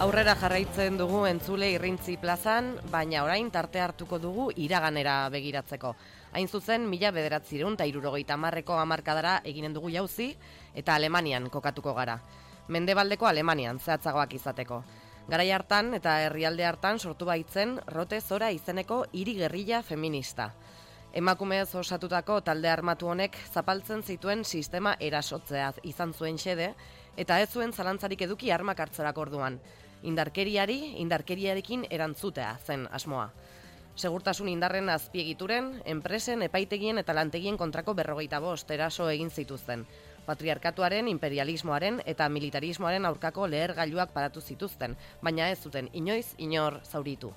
Aurrera jarraitzen dugu entzule Irrintzi plazan, baina orain tarte hartuko dugu iraganera begiratzeko. Hain zuzen, 1970ko hamarkadara eginen dugu jauzi eta Alemanian kokatuko gara. Mendebaldeko Alemanian zehatzagoak izateko. Garai hartan eta herrialde hartan sortu baitzen Rote Zora izeneko hiri gerrilla feminista. Emakumez osatutako talde armatu honek zapaltzen zituen sistema erasotzea izan zuen xede, eta ez zuen zalantzarik eduki armak hartzerak orduan. Indarkeriarekin erantzutea zen asmoa. Segurtasun indarren azpiegituren, enpresen, epaitegien eta lantegien kontrako 45 eraso egin zituzten. Patriarkatuaren, imperialismoaren eta militarismoaren aurkako lehergailuak paratu zituzten, baina ez zuten inoiz inor zauritu.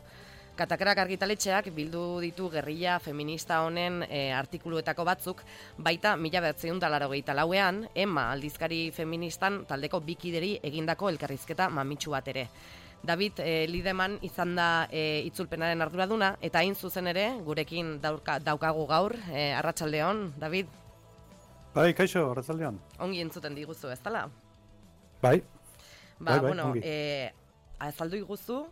Katakrak argitaletxeak bildu ditu gerrilla feminista honen artikuluetako batzuk, baita 1984ean, Emma aldizkari feministan taldeko bikideri egindako elkarrizketa mamitsu bat ere. David Lideman izan da itzulpenaren arduraduna, eta hain zuzen ere, gurekin daukagu gaur, arratsaldeon, David? Bai, kaixo, arratsaldeon. Ongi entzuten diguzu, ez dala? Bai. Bueno, ongi. azaldu iguzu,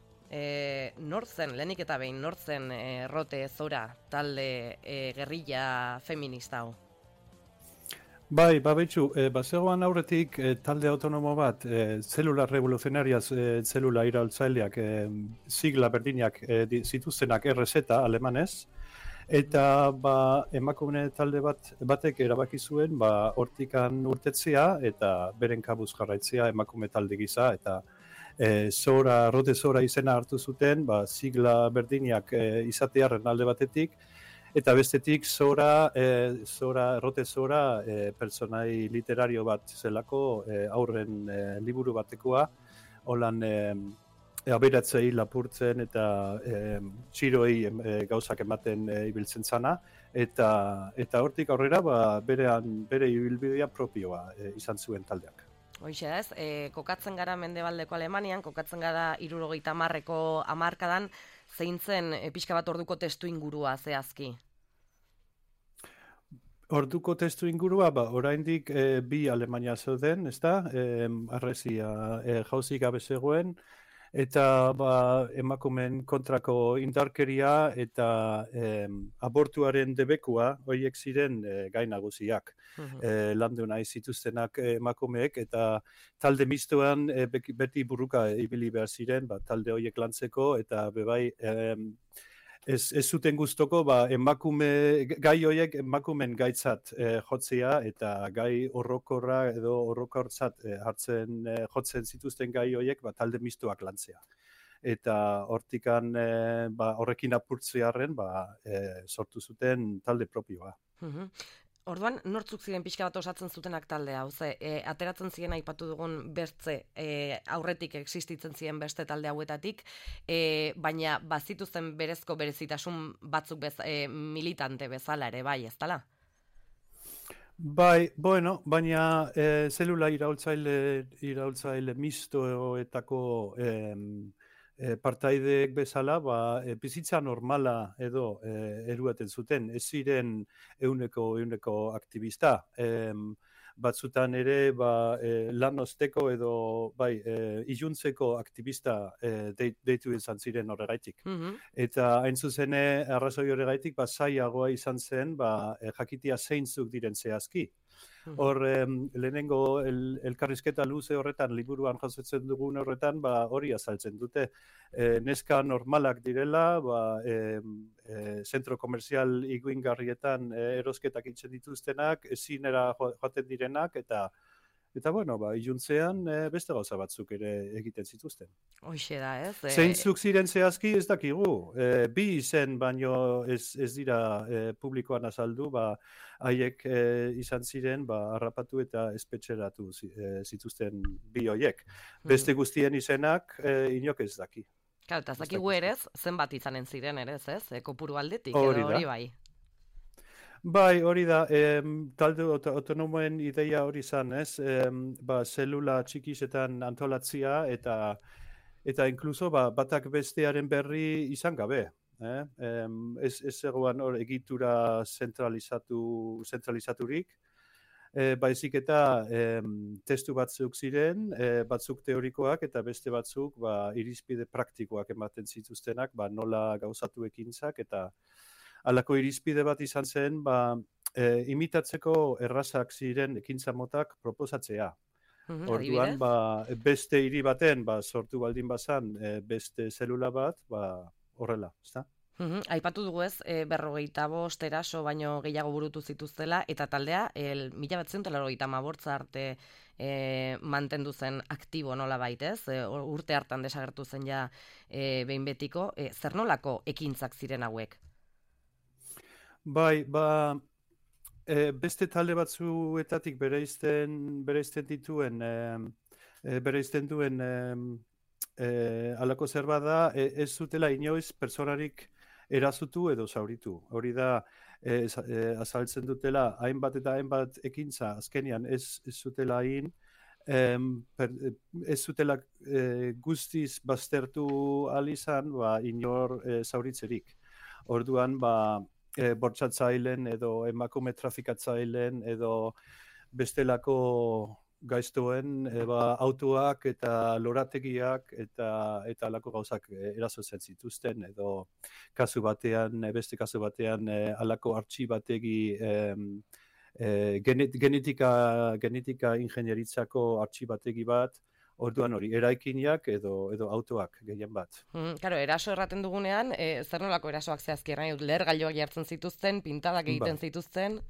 nortzen, lehenik eta behin, nortzen Rote Zora talde gerrilla feminista hau? Bai, betxu, bazegoan aurretik talde autonomo bat, zelula revoluzionariaz, zelula iraultzaileak, sigla berdinak zituztenak RZ alemanez, eta emakume talde batek erabaki zuen hortikan urtetzea eta beren kabuz jarraitzea emakume talde gisa, eta Rote Zora izena hartu zuten, sigla berdinak izatearen alde batetik, eta bestetik Rote Zora pertsonai literario bat zelako, aurren liburu batekoa, holan aberatzei lapurtzen eta txiroei gauzak ematen ibiltzen zana, eta hortik aurrera bere ibilbidea propioa izan zuen taldeak. Hoixe ez, kokatzen gara Mendebaldeko Alemanian, kokatzen gara 70ko hamarkadan, zein zen pixka bat orduko testu ingurua zehazki? Orduko testu ingurua, oraindik bi Alemania zeuden, ezta? Harresia jauzi gabe zegoen, eta emakumeen kontrako indarkeria eta abortuaren debekua horiek ziren gai nagusiak. Landu nahi zituztenak emakumeek, eta talde mistoan beti burruka ibili behar ziren, talde horiek lantzeko, eta bebai ez zuten gustoko gai horiek emakumen gaitzat jotzea, eta gai horrokorra edo horrokortzat jotzen zituzten gai horiek talde mistoak lantzea. Eta hortikan horrekin apurtzearen sortu zuten talde propioa. Orduan, nortzuk ziren pixka bat osatzen zutenak taldea, ateratzen ziren aipatu dugun bertze aurretik existitzen ziren beste talde hauetatik, baina bazituzten berezko berezitasun batzuk militante bezala ere, bai, ez dala? Bai, bueno, baina zelula iraultzaile mistoetako partaideek bezala, bizitza normala edo eruaten zuten, ez ziren euneko aktivista. Batzutan ere lan osteko edo iluntzeko aktivista deitu izan ziren horregaitik. Eta hain zuzene arrazoi horregaitik zailagoa izan zen jakitia zeintzuk diren zehazki. Hor, lehenengo elkarrizketa luze horretan, liburuan jasotzen dugun horretan, hori azaltzen dute. Neska normalak direla, zentro komerzial iguingarrietan erosketak itzen dituztenak, ezinera joaten direnak, eta bueno, iluntzean beste gauza batzuk ere egiten zituzten. Hoixe da, ez? Zeintzuk ziren zehazki ez dakigu. Bi izen baino ez dira publikoan azaldu, haiek izan ziren harrapatu eta espetxeratu zituzten bi hoiek. Beste guztien izenak inok ez daki. Claro, eta ez dakigu ere, zenbat izanen ziren ere, ez? Kopuru aldetik, edo hori bai. Bai, hori da, talde autonomoen ideia hori izan, ez? Zelula txikisetan antolatzia eta inkluso batak bestearen berri izan gabe. Ez zegoen egitura zentralizaturik, baizik eta testu batzuk ziren, batzuk teorikoak eta beste batzuk irizpide praktikoak ematen zituztenak, nola gauzatu ekintzak, eta halako irizpide bat izan zen, imitatzeko errazak ziren ekintza motak proposatzea. Orduan, beste hiri baten sortu baldin bazan beste zelula bat, horrela, ezta? Aipatu dugu ez, 55 eraso baino gehiago burutu zituztela, eta taldea 1985 arte mantendu zen aktibo nola baitez, urte hartan desagertu zen ja behin betiko, zer nolako ekintzak ziren hauek? Bai, beste talde batzuetatik bereizten duen halako zer bada, ez zutela inoiz pertsonarik erazutu edo zauritu. Hori da, azaltzen dutela, hainbat eta hainbat ekintza, azkenian ez zutela ez zutela guztiz baztertu ahal izan, inor zauritzerik. Orduan, bortxatzaileen edo emakume trafikatzaileen edo bestelako gaiztoen autoak eta lorategiak eta alako gauzak erasotzen zituzten, edo beste kasu batean alako artxibategi genetika ingenieritzako artxibategi bat. Orduan hori, eraikinak edo autoak gehien bat. Claro, eraso erraten dugunean, zer nolako erasoak zehazki errain, lehergailuak jartzen zituzten, pintadak egiten zituzten?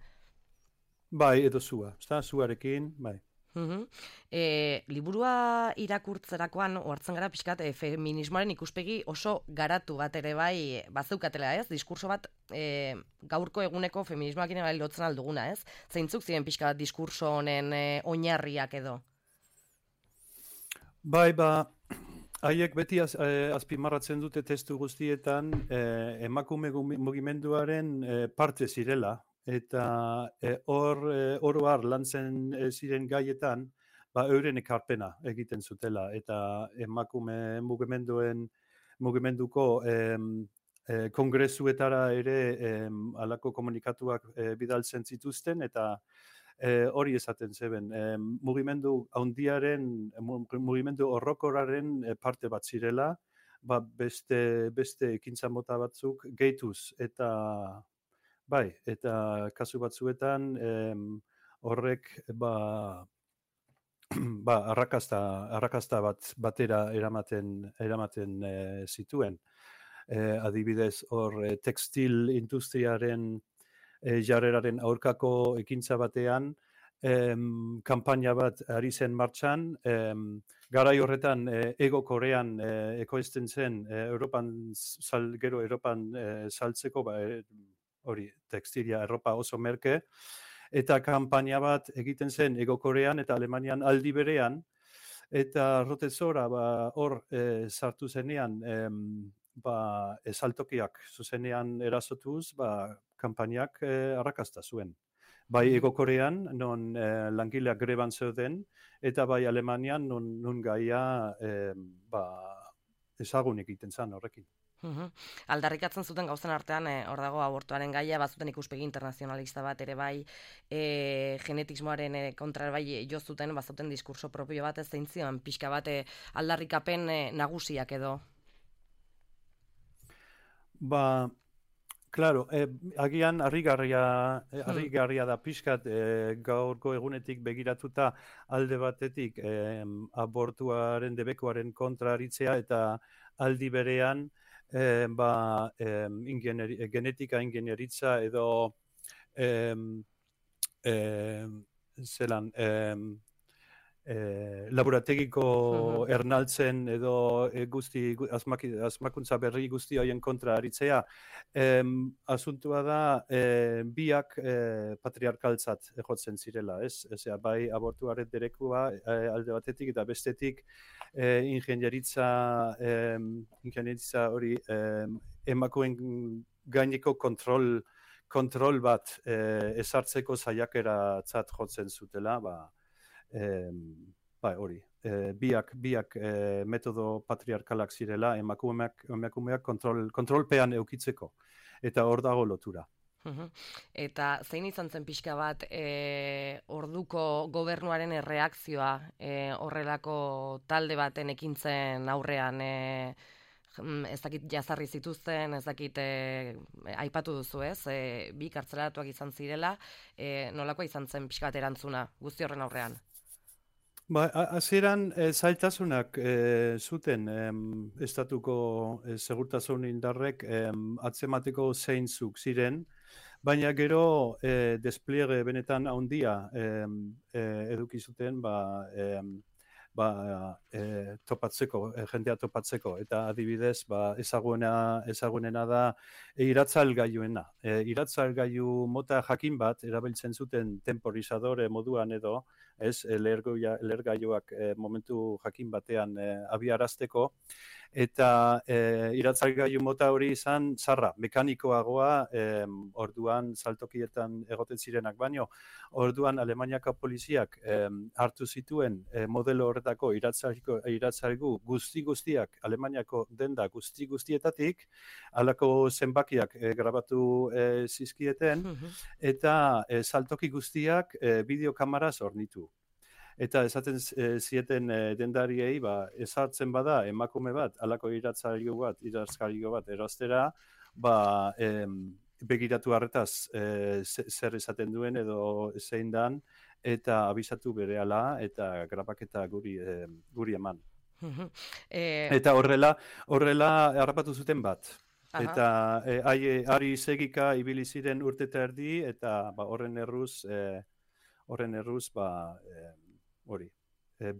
Bai, edo zuarekin, bai. Liburua irakurtzerakoan ohartzen gara pixkat feminismoaren ikuspegi oso garatu bat ere bai bazeukatela, ez? Diskurso bat gaurko eguneko feminismoakin bai lotzen alduguna, ez? Zeintzuk ziren pixka bat diskurso honen oinarriak edo? Bai, haiek beti azpimarratzen dute testu guztietan emakume mugimenduaren parte zirela, eta oro har lantzen ziren gaietan, euren ekarpena egiten zutela, eta emakume mugimenduko kongresuetara ere halako komunikatuak bidaltzen zituzten, eta hori esaten zeben, mugimendu horrokoraren parte bat zirela, beste ekintza mota batzuk gehituz, eta kasu batzuetan horrek arrakasta batera eramaten zituen. Adibidez, hor tekstil industriaren jarreraren aurkako ekintza batean, kanpaina bat ari zen martxan, garai horretan Ego Korean ekoizten zen Europan saltzeko, hori, tekstilia, erropa oso merke, eta kanpaina bat egiten zen Ego Korean eta Alemanian aldi berean, eta Rotezora hor sartu zenean, saltokiak zuzenean erasotuz, kanpainak arrakasta zuen. Bai Ego Korean, non langileak greban zeuden, eta bai Alemanian, non gaia ezagun egiten zen horrekin. Aldarrikatzen zuten gauzen artean, hor dago abortuaren gaia, bazuten ikuspegi internazionalista bat ere bai, genetismoaren kontra bai jo zuten, bazuten diskurso propio bat ez zein zion, pixka bat aldarrikapen nagusiak edo? Claro, agian harrigarria da pixkat gaurko egunetik begiratuta alde batetik abortuaren debekoaren kontra aritzea, eta aldi berean genetika ingenieritza edo laborategiko ernaltzen edo asmakuntza berri guzti horien kontra aritzea. Asuntua da biak patriarkaltzat jotzen zirela, ez? Bai abortuaren derekua alde batetik eta bestetik ingenieritza hori emakumeen gaineko kontrol bat ezartzeko saiakeratzat jotzen zutela, hori, biak metodo patriarkalak zirela emakumeak kontrolpean eukitzeko, eta hor dago lotura. Eta zein izan zen pixka bat orduko gobernuaren erreakzioa horrelako talde baten ekintzen aurrean ez dakit jazarri zituzten, ez dakit aipatu duzu ez, bi kartzelaratuak izan zirela, nolakoa izan zen pixka bat erantzuna guzti horren aurrean? Ba, hasieran zailtasunak zuten estatuko segurtasun indarrek atzemateko zeintzuk ziren, baina gero despliege benetan handia eduki zuten topatzeko, jendea topatzeko, eta adibidez ezagunena da iratzalgailuena. Iratzalgailu mota jakin bat erabiltzen zuten temporizadore moduan edo, ez, lehergailuak momentu jakin batean abiarazteko, eta iratzalgailu mota hori izan zarra, mekanikoagoa, orduan saltokietan egoten zirenak baino, orduan Alemaniako poliziak hartu zituen modelo horretako iratzaigu guztiak Alemaniako denda guztietatik, halako zenbakiak grabatu zizkieten, eta saltoki guztiak bideokamaraz hornitu. Eta esaten zieten dendariei, ezartzen bada emakume bat, halako iratzailu bat erostera, begiratu harretaz zer esaten duen edo zein dan, eta abisatu berehala eta grabaketa guri eman. Eta horrela harrapatu zuten bat. Aha. Eta ari segika ibili ziren urte eta erdi, eta horren erruz hori.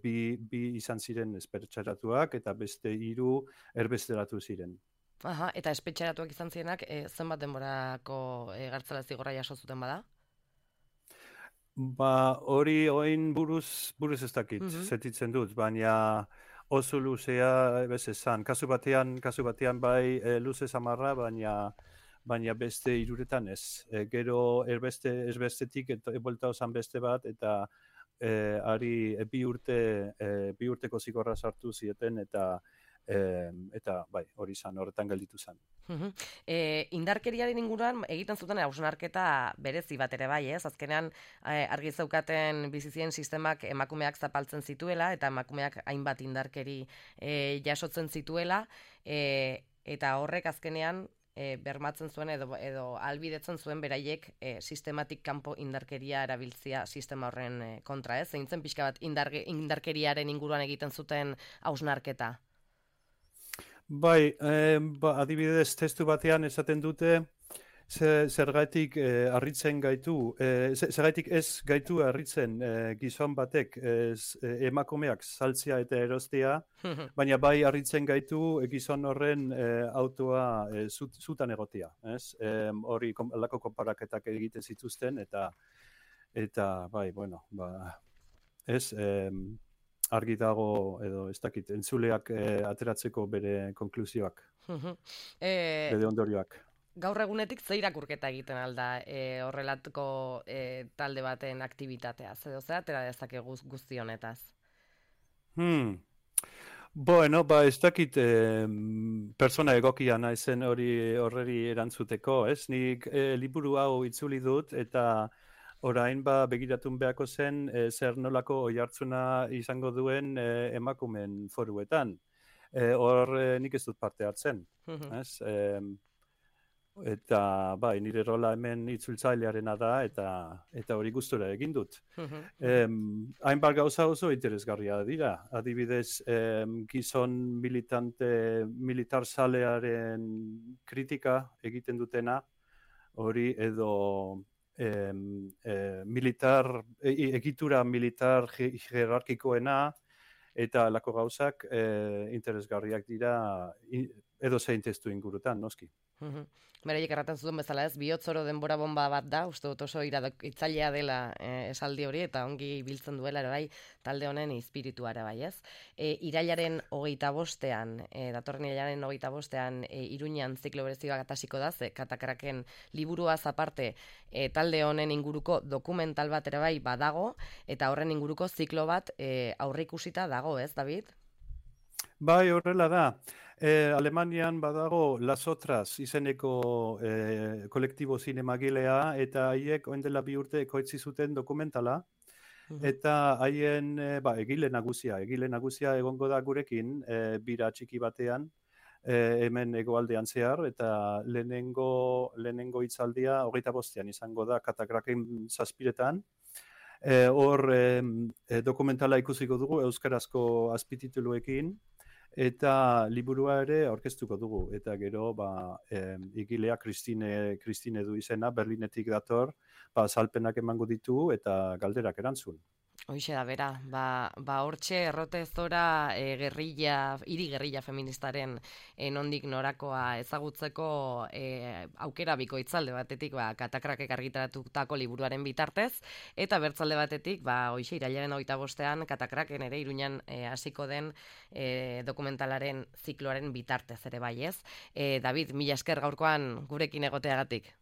Bi izan ziren espetxeratuak eta beste 3 erbesteratu ziren. Aha, eta espetxeratuak izan zirenak zenbat denborako gartzela zigorra jaso zuten bada? Hori oin buruz ez dakit, sentitzen dut, baina oso luzea bez esan. Kasu batean bai luze samarra, baina beste 3 ez. Gero erbestetik ebolta osan beste bat, eta ari bi urteko zigorra sartu zieten, eta bai, hori izan, horretan gelditu zen. Indarkeriaren inguruan egiten zuten hausnarketa berezi bat ere bai, ez? Azkenean argi zeukaten bizizien sistemak emakumeak zapaltzen zituela, eta emakumeak hainbat indarkeri jasotzen zituela, eta horrek azkenean bermatzen zuen edo albidetzen zuen beraiek sistematik kanpo indarkeria erabiltzia sistema horren kontra, ez? Zein zen pixka bat indarkeriaren inguruan egiten zuten hausnarketa? Bai, adibidez testu batean esaten dute zergatik harritzen gaitu, zergatik ez gaitu harritzen gizon batek emakumeak saltzea eta erostea, baina bai harritzen gaitu gizon horren autoa zutan egotea, ez? Hori lako konparaketak egiten zituzten, eta bai, bueno, ez, argi dago edo ez dakit entzuleak ateratzeko bere konklusioak, bere ondorioak. Gaur egunetik ze irakurketa egiten alda horrelatuko talde baten aktibitatea, edo zer atera dezakegu guzti honetaz? Bueno, ez dakit persona egokia naizen horreri erantzuteko, ez? Nik liburu hau itzuli dut, eta orain begiratun beharko zen zer nolako oihartzuna izango duen emakumeen foruetan. Hor nik ez dut parte hartzen, ez? Eta bai, nire rola hemen itzultzailearena da, eta hori gustura egin dut. Hainbat gauza oso interesgarria dira. Adibidez, gizon militar salearen kritika egiten dutena, hori edo egitura militar jerarkikoena, eta lako gauzak interesgarriak dira edo zein testu ingurutan, noski. Beraiek erraten zuten bezala, ez, bihotzoro denbora bomba bat da, uste dut oso itzalea dela esaldi hori, eta ongi biltzen duela ere bai talde honen espirituara bai, ez? Irailaren 25ean, datorren irailaren 25ean Iruñan ziklo berezi bat hasiko da, Katakraken liburuaz aparte talde honen inguruko dokumental bat ere bai badago, eta horren inguruko ziklo bat aurreikusita dago, ez, David? Bai, horrela da. Alemanian badago Las Otras izeneko kolektibo zinemagilea, eta haiek orain dela 2 urte ekoitzi zuten dokumentala, eta haien egile nagusia egongo da gurekin bira txiki batean, hemen hegoaldean zehar, eta lehenengo hitzaldia 25ean izango da Katakraken 7etan. Hor dokumentala ikusiko dugu euskarazko azpitituluekin, eta liburua ere aurkeztuko dugu, eta gero igilea Kristine du izena, Berlinetik dator, azalpenak emango ditu eta galderak erantzun. Hoixe da, bera, hortxe errote zora hiri gerrilla feministaren nondik norakoa ezagutzeko aukera bikoitzalde batetik Katakrakek argitaratutako liburuaren bitartez, eta bertzalde batetik, hoixe irailaren 25ean Katakraken ere Iruñan hasiko den dokumentalaren zikloaren bitartez ere bai, ez? David, mila esker gaurkoan gurekin egoteagatik.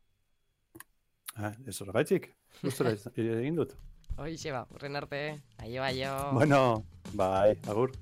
Ez horregaitik, gustora egin dut. Hoixe urren arte, aio. Bueno, bai, agur.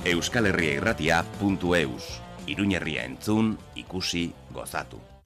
euskalherriairratia.eus. Iruñerria entzun, ikusi, gozatu.